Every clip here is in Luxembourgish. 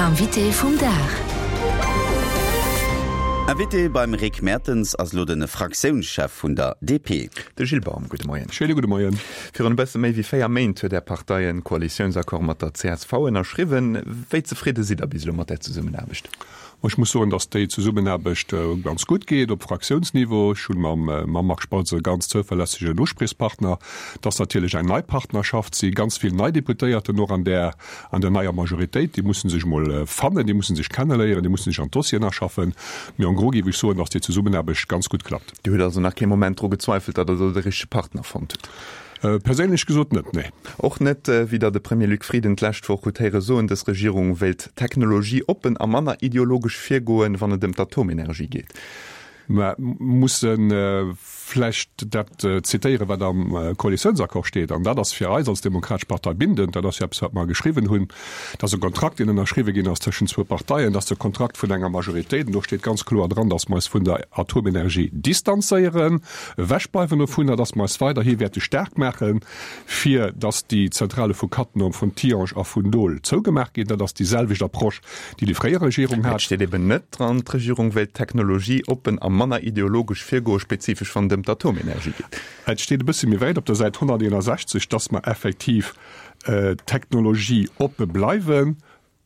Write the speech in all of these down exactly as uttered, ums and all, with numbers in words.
Invité vum Dag. Invité beim Rick Mertens ass elo de Fraktiounschef vun der D P. De Gilles Baum, gudde Moien. Schéine gudde Moien. Virun e bësse méi wéi véier Méint huet Är Partei en Koalitiounsaccord mat der C S V ënnerschriwwen. Wéi zefridde sidd Der bis elo mat där Zesummenaarbecht? Ech muss soen, dass déi Zesummenaarbecht ganz gutt geet op Fraktiounsniveau. Ech hunn mam, mam Marc Spautz e ganz zouverlässegen Uspriechspartner. Dat ass natierlech eng nei Partnerschaft, si ganz vill nei Deputéierten och an der, an der neier Majoritéit. Déi mussen sech mol fannen, déi mussen sech kenneléieren, déi mussen sech an d'Dossieren aschaffen. Mee en gros géif ech soen, dass déi Zesummenaarbecht ganz gutt klappt. Dir hutt also nach kee Moment dru gezweifelt, datt Der do de richtege Partner fonnt hutt? Perséinlech gesot net, nee. Och net, wéi Der de Premier Luc Frieden d'lescht Woch hutt héiere soen, dës Regierung wéilt technologieoppen a manner ideologesch virgoen, wann et ëm d'Atomenergie geet. Mer musse vläicht dat zitéieren, wat am Koalitiounsaccord steet, an dat ass fir eis als Demokratesch Partei bindend. Dat ass jo eppes, wat mer geschriwwen hunn. Dat ass e Kontrakt, deen ënnerschriwwe ginn ass tëschent zwou Parteien. Dat ass de Kontrakt vun enger Majoritéit. An do steet ganz kloer dran, dass mer eis vun der Atomenergie distanzéieren, ewechbleiwen dovunner, dass mer eis weiderhi wäerte staark maachen, fir dass déi Zentrale vu Cattenom, vun Tihange a vun Doel zougemaach ginn. Dat ass déi selwecht Approche, déi déi fréier Regierung Et hat. steet eben net dran, d'Regierung wéilt technologieoppen a manner ideologesch virgoen, spezifesch wann et ëm d'Atomenergie geet. Et steet e bësse méi wäit op der Säit honnerteenasechzeg, dass mer effektiv technologieoppe bleiwen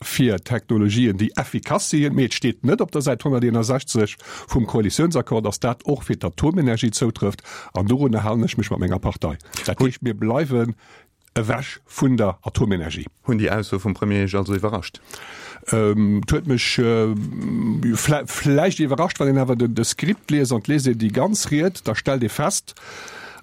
fir Technologien, déi effikass sinn. Mee et steet net op der Säit honnerteenasechzeg vum Koalitiounsaccord, dass dat och fir d'Atomenergie zoutrëfft. An dorunner halen ech mech mat menger Partei. Dat heescht, mir bleiwen ewech vun der Atomenergie. Hunn déi Aussoe vum Premier Iech also iwwerrascht? Et huet mech vläicht iwwerrascht. Wann een awer de Skript liest an et liest een déi ganz Ried, da stellt ee fest,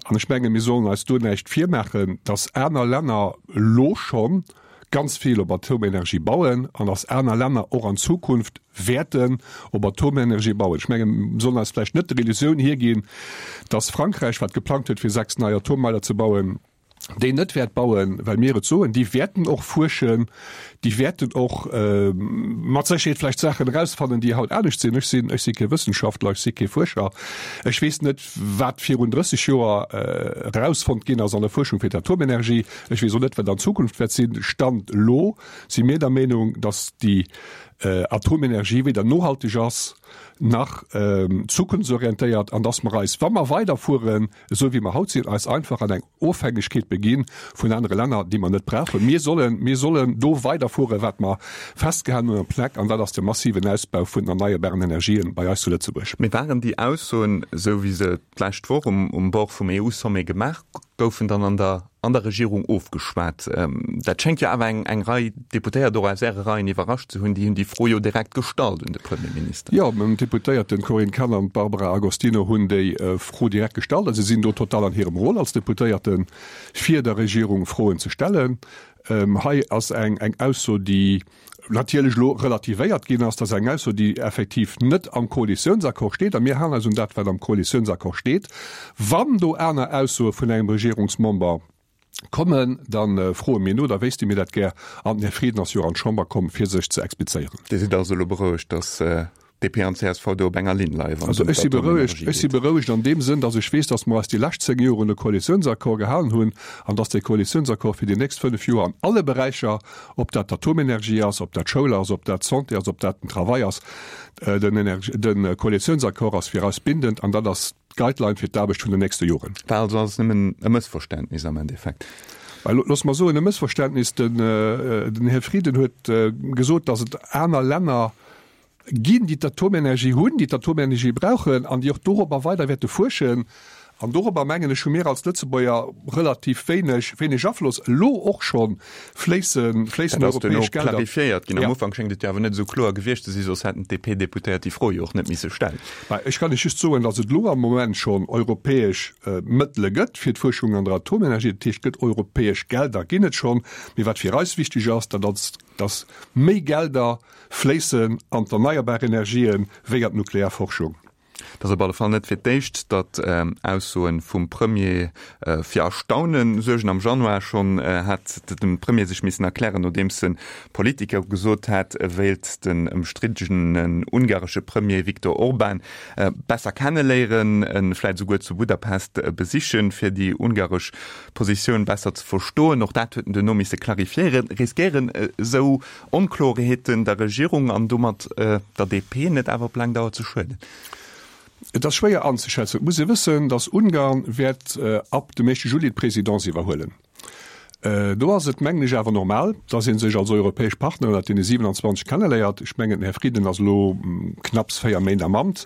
an ech menge mir sollen eis do näischt virmaachen, datt aner Länner elo scho ganz vill op Atomenergie bauen an datt aner Länner och an Zukunft wäerten op Atomenergie bauen. Ech menge mir sollen eis vläicht net der Illusioun hierginn, datt Frankräich, wat geplangt huet fir sechs nei Atommeiler ze bauen, déi net wäert bauen, well mir et soen. Déi wäerten och fuerschen, déi wäerten och mat Sécherheet vläicht Saachen erausfannen, déi haut anescht sinn. Ech sinn, ech si kee Wëssenschaftler, ech si kee Fuerscher. Ech weess net, wat virun drësseg Joer erausfonnt ginn ass an der Fuerschung fir d'Atomenergie. Ech weess och net, wat an Zukunft wäert sinn. Stand elo si mir der Meenung, datt déi Atomenergie weder nohalteg ass nach zukunftsorientéiert an datt mer eis, wa mer weiderfueren, esou wéi mer haut sinn, eis einfach an eng Ofhängegkeet beginn vun anere Länner, déi mer net brauchen. Mir sollen, mir sollen do weiderfueren, wat mer festgehalen hunn am PNEC, an dat ass de massiven Ausbau vun den erneierbaren Energien bei eis zu Lëtzebuerg. Mee waren déi Aussoen, esou wéi se d'lescht Woch um um Bord vum E U-Sommet gemaach goufen, dann an der an der Regierung ofgeschwat? Dat schéngt jo awer eng eng Rei Deputéiert och aus Äre Reien iwwerrascht ze hunn. Déi hunn déi Fro jo direkt gestallt un de Premierminister. Jo, d'Deputéierten Corinne Cahen an d'Barbara Agostino hunn déi Fro direkt gestallt a si sinn do total an hirem Rôle als Deputéierten, fir der Regierung Froen ze stellen. Hei ass eng eng Ausso, déi natierlech elo relativéiert ginn ass. Dat ass eng Ausso, déi effektiv net am Koalitiounsaccord steet. A mir halen eis un dat, wat am Koalitiounsaccord steet. Wann do aner Aussoe vun engem Regierungsmember kommen, da froe mir no, da wéisste mir dat gär. An den Här Frieden ass jo och an d'Chamber komm, fir sech ze explizéieren. Dir sidd also elo berouegt, datt D P an C S V do op enger Linn leien, wann et Also ëm ech si berouegt, d'Atomenergie ech si geet? berouegt an deem Sënn, datt ech weess, datt mer eis déi lescht zéng Joer un e Koalitiounsaccord gehalen hunn an datt dee Koalitiounsaccord fir déi nächst fënnef Joer an alle Beräicher, ob dat d'Atomenergie ass, ob dat d'Schoul ass, ob dat d'Santé ass, ob dat den Travail ass, den Energie, de Koalitiounsaccord ass fir eis bindend an dat ass d'Guideline fir d'Aarbecht vun den nächste Joren. War also alles nëmmen e Mëssverständnis am Endeffekt? Looss mer soen, e Mëssverständnis. Den, den Här Frieden huet gesot, datt et aner Länner ginn, déi d'Atomenergie hunn, déi d'Atomenergie brauchen an déi och dorobber weider wäerte fuerschen. An dorobber, mengen ech, hu mir als Lëtzebuerger relativ wéineg, wéineg Afloss. Elo och scho fléissen, fléissen Dat ass duerno europäesch Gelder. clarifiéiert ginn. Am Ja. Ufank schéngt et jo awer net esou kloer gewiescht ze sinn, soss hätten d'D P-Deputéiert déi Fro jo och net misse stellen. Mä ech kann lech just soen, datt et elo am Moment schonn europäesch Mëttele gëtt fir d'Fuerschung an der Atomenergie. Dat heescht, et gëtt europäesch Gelder, ginn et schonn. Mee wat fir eis wichteg ass, dat ass, datt méi Gelder fléissen an d'erneierbar Energien wéi an d'Nuklearforschung. Et ass op alle Fall net fir d'éischt, datt Aussoe vum Premier fir Erstaune suergen. Am Januar schonn hat de Premier sech missen erklären, nodeems e Politiker gesot hat, e wéilt den ëmstriddenen ungaresche Premier Viktor Orban besser kenneléieren, e vläit esouguer zu Budapest besichen, fir déi ungaresch Positioun besser ze verstoen. Och dat huet en duerno misse clarifiéieren. Riskéieren esou Onkloerheeten der Regierung an domat der D P net awer op laang Dauer ze schueden? Et ass schwéier anzeschätzen. Et muss ee wëssen, datt Ungarn wäert ab dem éischte Juli d'Presidence iwwerhuelen. Do ass et, mengen ech, awer normal, datt ee sech als europäesch Partner ënnert deene siewenanzwanzeg kenneléiert. Ech mengen, den Här Frieden ass elo knapps véier Méint am Amt,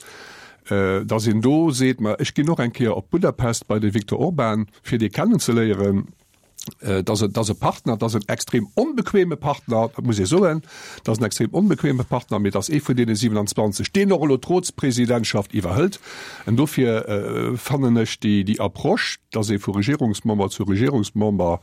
datt een do seet, ma ech ginn och eng Kéier op Budapest bei de Viktor Orban, fir dee kennenzeléieren. Et ass, et ass e Partner, et ass en extrem onbequeme Partner, dat muss ee soen, et ass en extrem onbequeme Partner, mee et ass ee vun deene siewenanzwanzeg, deen och elo d'Rotspresidentschaft iwwerhëlt. An dofir fannen ech déi, déi Approche, dass ee vu Regierungsmember zu Regierungsmember,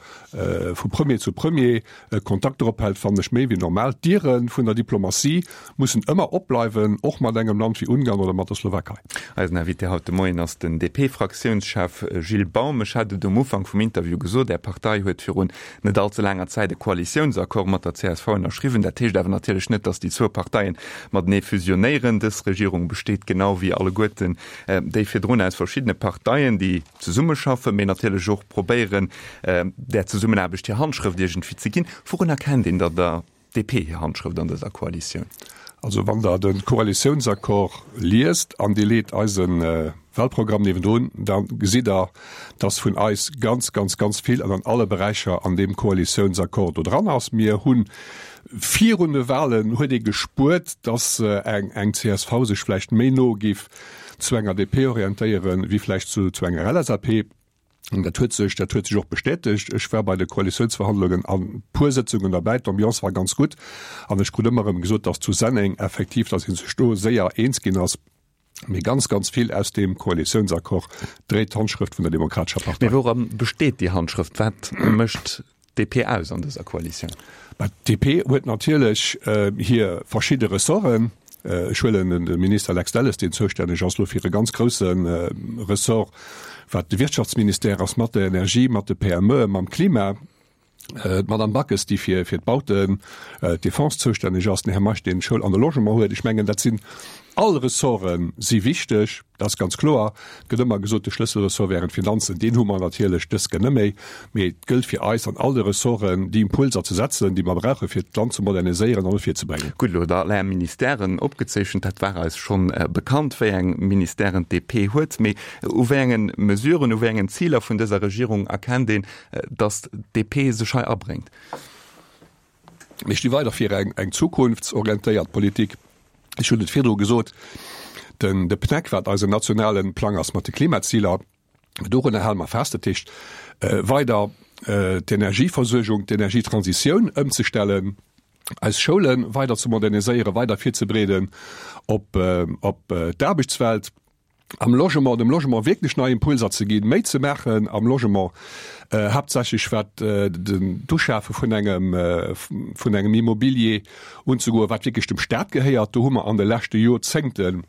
vu Premier zu Premier Kontakter ophält, fannen ech méi wéi normal. D'Diere vun der Diplomatie mussen ëmmer opbleiwen, och mat engem Land wéi Ungarn oder mat der Slowakei. Eisen Invité haut de Moien ass den D P-Fraktiounschef Gilles Baum. Ech hat et um Ufank vum Interview gesot, Är Partei huet virun net all ze laanger Zäit e Koalitiounsaccord mat der C S V ënnerschriwwen. Dat heescht awer natierlech net, datt déi zwou Parteien matenee fusionéieren. Dës Regierung besteet genau wéi alleguerten déi virdrun aus verschiddene Parteien, déi zesummeschaffen, mee natierlech och probéieren, där Zesummenaarbecht hir Handschrëft iergendwéi ze ginn. Wourun erkennt een da der D P hir Handschrëft an dëser Koalitioun? Also wann Der de Koalitiounsaccord liest an Dir leet eise Wahlprogramm niewendrun, da gesitt Der, dass vun eis ganz, ganz, ganz vill an an alle Beräicher an deem Koalitiounsaccord do dran ass. Mir hu virun de Wahlen huet ee gespuert, dass eng eng C S V sech vläicht méi no géif zu enger D P orientéieren, wéi vläicht zu zu enger L S A P. An dat huet sech, dat huet sech och bestätegt. Ech war bei de Koalitiounsverhandlungen an puer Sëtzungen derbäi, d'Ambiance war ganz gutt an ech krut ëmmer erëm gesot, dass zu Senneng effektiv, dass ee sech do séier eens ginn ass. Mee ganz, ganz vill aus deem Koalitiounsaccord dréit d'Handschrëft vun der Demokratescher Partei. Mee woura besteet déi Handschrëft? Wat mécht d'D P aus an dëser Koalitioun? Bah, d'D P huet natierlech hir verschidde Ressorten. Ech huelen de Minister Lex Delles, deen zoustänneg ass elo fir e ganz grousse Ressort, wat de Wirtschaftsministère ass, mat der Energie, mat de P M Eën, mam Klima, d'Madame Backes, déi fir d'Bauten, d'Defense zoustänneg ass, den Här Meisch, deen d'Schoul an de Logement huet. Ech mengen, dat sinn all Ressorte si wichteg, dat ass ganz kloer. Et gëtt ëmmer gesot, de Schlësselressort wären d'Finanzen. Deen hu mer natierlech dës Kéier net méi. Mee et gëllt fir eis, an all de Ressorten déi Impulser ze setzen, déi mer brauchen, fir d'Land ze moderniséieren an no vir ze bréngen. Gutt, elo hutt Der all Är Ministèren opgezeechent. Dat war eis schonn bekannt, wéi eng Ministèren d'D P huet. Mee u wéi engen Mesuren, u wéi engen Ziler vun dëser Regierung erkennt een, datt d'D P sech hei abréngt? Mir sti weider fir eng zukunftsorientéiert Politik. Ech hunn et virdru gesot, den de P N E C, wat eisen nationale Plang ass mat de Klimaziler, dorunner hale mer fest, dat heescht weider d'Energieversuergung, d'Energietransitioun ëmzestellen, eis Schoule weider ze moderniséieren, weider virzebereeden op op d'Aarbechtswelt, am Logement, dem Logement wierklech nei Impulser ze ginn, méi ze maachen am Logement, haaptsächlech wat den d'Uschafe vun engem vun engem Immobilier unzegoen, wat wierklech dem Staat gehéiert. Do hu mer an de leschte Joerzéngten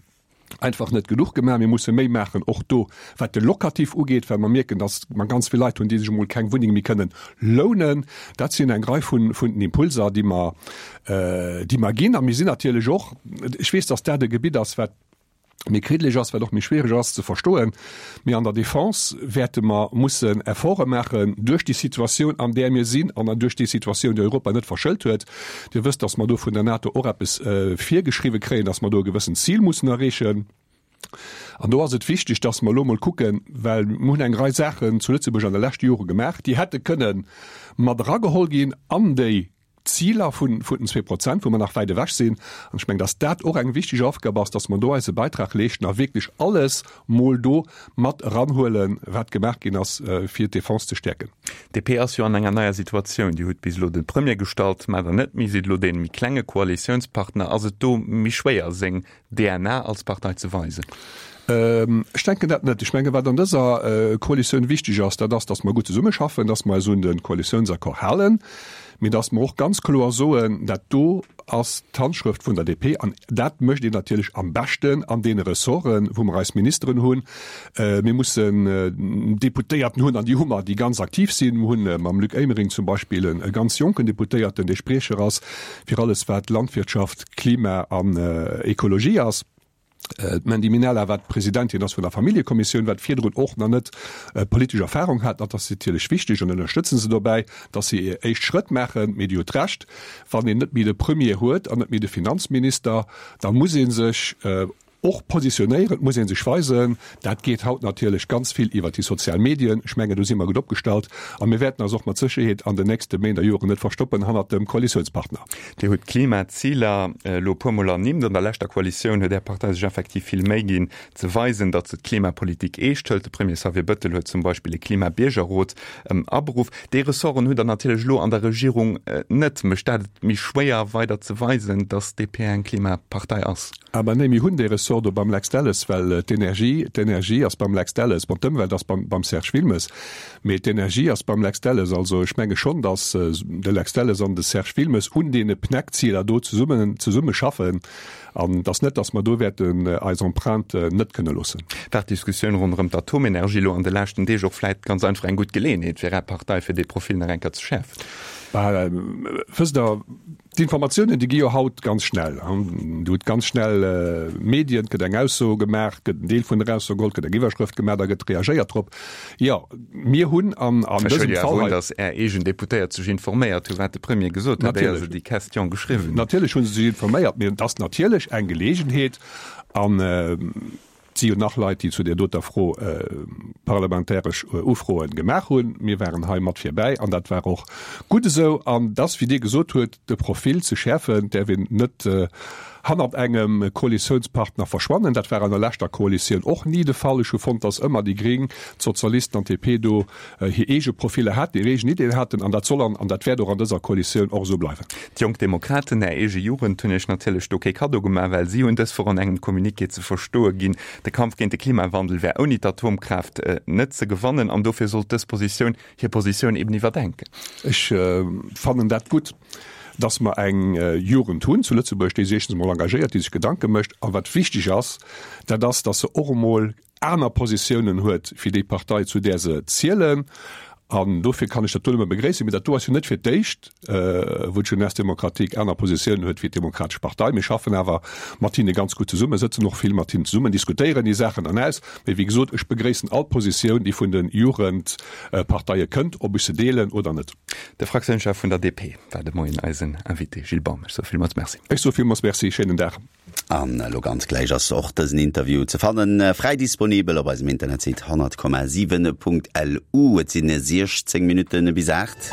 einfach net genuch gemaach. Mir musse méi maachen och do, wat de Locatif ugeet, well mer mierken, datt mer ganz vill Leit hunn, déi sech emol keng Wunneng méi kënnen lounen. Dat sinn eng Rei vun vun den Impulser, déi mer déi mer ginn. A mir sinn natierlech och, ech weess, datt dat e Gebitt ass, wat méi kriddeleg ass, wat och méi schwiereg ass ze verstoen, mee an der Defense wäerte mer mussen Efforte maachen duerch déi Situatioun, an där mir sinn an duerch déi Situatioun, déi Europa net verschëlt huet. Dir wësst, datt mer do vun der NATO och eppes virgeschriwwe kréien, datt mer do e gewëssent Zil mussen erreechen. An do ass et wichteg, datt mer elo mol kucken, well mir hunn eng Rei Saachen zu Lëtzebuerg an de leschte Jore gemaach, déi hätte kënne mat erageholl ginn an déi Ziler vun den zwee Prozent, wou mer nach wäit ewech sinn. An ech mengen, dass dat och eng wichteg Aufgab ass, dass mer do eise Beitrag leeschten a wierklech alles mol do mat eranhuelen, wat gemaach ginn ass, fir d'Defense ze stäerken. D P ass jo an enger neier Situatioun. Dir hutt bis elo de Premier gestallt, mä der net méi, sidd elo dee méi klenge Koalitiounspartner. Ass et do méi schwéier, seng D N A als Partei ze weisen? Ech denken dat net. Ech menge wat an dëser Koalitioun wichteg ass, dat ass, datt mer gutt zesummeschaffen, datt mer eis un de Koalitiounsaccord halen. mee dass mer och ganz kloer soen, dat do ass d'Handschrëft vun der D P. An dat mécht een natierlech am beschten an deene Ressorten, wou mer eis Ministeren hunn. Mir mussen Deputéierten hunn, an déi hu mer, déi ganz aktiv sinn. Mir hunn mam Luc Emering zum Beispill e ganz jonken Deputéierten, dee Spriecher ass fir alles, wat Landwirtschaft, Klima an Ekologie ass. D'Mandy Minella, wat Presidentin ass vun der Familljekommissioun, wat virdrun och nach net politesch Erfahrung hat, dat ass natierlech wichteg an ënnerstëtzen se dobäi, datt se hir éischt Schrëtt maachen. Mee Dir hutt Recht, wann een net méi de Premier huet an net méi de Finanzminister, da muss ee sech och positionéieren, et muss ee sech weisen. Dat geet haut natierlech ganz vill iwwert déi sozial Medien. Ech mengen, do si mer gutt opgestallt a mir wäerten eis och mat Sécherheet an den nächste Méint a Joren net verstoppen hannert dem Koalitiounspartner. Dir hutt d'Klimaziler elo e puermol ernimmt. An der leschter Koalitioun huet Är Partei sech effektiv vill Méi ginn, ze weisen, datt se d'Klimapolitik eescht hëlt. De Premier Xavier Bëttel huet zum Beispill e Klimabiergerrot aberuff. Déi Ressorten hutt Der natierlech elo an der Regierung net. Mécht dat et méi schwéier, weider ze weisen, datt d'D P eng Klimapartei ass? Aber nee, mir hunn dee Ressort do beim Lex Delles, well d'Energie, d'Energie ass beim Lex Delles, bon, d'Ëmwelt ass beim, beim Serge Wilmes, mee d'Energie ass beim Lex Delles. Also ech menge schonn, datt de Lex Delles an de Serge Wilmes un deene P N E C-Ziler do zesummen, zesumme schaffen an datt net, datt mer do wäerten eis Empreinte net kënne loossen. War d'Diskussioun ronderëm d'Atomenergie elo an de leschten Deeg och vläit ganz einfach eng gutt Geleeënheet fir Är Partei, fir dee Profil nach eng Kéier ze schäerfen? Bah, wësst Der, D'Informatiounen, déi gi jo haut ganz schnell. Dir hutt ganz schnell Medien, et gëtt eng Ausso gemaach, gëtt en Deel vun der Ausso geholl, gëtt eng Iwwerschrëft gemaach, da gëtt reagéiert drop. Jo, mir hunn an dësem Fall hei. Ech huele jo awer un, datt Är eegen Deputéiert sech informéiert hu wat de Premier gesot huet, éier se déi Question geschriwwen hunn. Natierlech hu se sech informéiert, mee et ass natierlech eng Geleegenheet an, Et si jo nach Leit, déi zu där doter Fro parlamentaresch Ufroe gemaach hunn. Mir waren hei mat virbäi an dat war och gutt esou. An dass, wéi Dir gesot huet, de Profil ze schäerfen, däerf een net hannert engem Koalitiounspartner verschwannen. Dat war an der leschter Koalitioun och ni de Fall. Ech hu fonnt, dass ëmmer déi Gréng, d'Sozialisten an d'D P do hir eege Profiller haten, hir eegen Ideeën haten. An dat soll an an dat wäert och an dëser Koalitioun och esou bleiwen. D'Jonk Demokraten, Är eege Jugend, hunn Iech natierlech do kee Kaddo gemaach, well si hunn dës Woch an engem Communiqué ze verstoe ginn, de Kampf géint de Klimawandel wär ouni d'Atomkraaft net ze gewannen an dofir sollt dës Positioun hir Positioun eben iwwerdenken. Ech fannen dat gutt, dass mer eng Jugend hunn zu Lëtzebuerg, déi sech éischtens emol engagéiert, déi sech Gedanke mécht. A wat wichteg ass, dat ass, dass se och emol aner Positiounen huet wéi déi Partei, zu där se zielen. An dofir kann ech dat do nëmme begréissen. Mee dat do ass jo net fir d'éischt, wou d'Jeunesse démocratique aner Positiounen huet wéi d'Demokratesch Partei. Mir schaffen awer mat hinne ganz gutt zesummen, sëtzen och vill mat hinnen zesummen, diskutéieren déi Saachen dann aus. Mee wéi gesot, ech begréissen all Positioun, déi vun de Jugendparteie kënnt, ob ech se deelen oder net. De Fraktiounschef vun der D P war de Moien eisen Invité. Gilles Baum, ech soe villmools Merci. Ech soe villmools Merci. Schéinen Dag. An elo ganz gläich ass och dësen Interview ze fannen, fräi disponibel op eisem Internetsite honnert Komma siwen Punkt L U. Et sinn siechzéng Minutten bis aacht.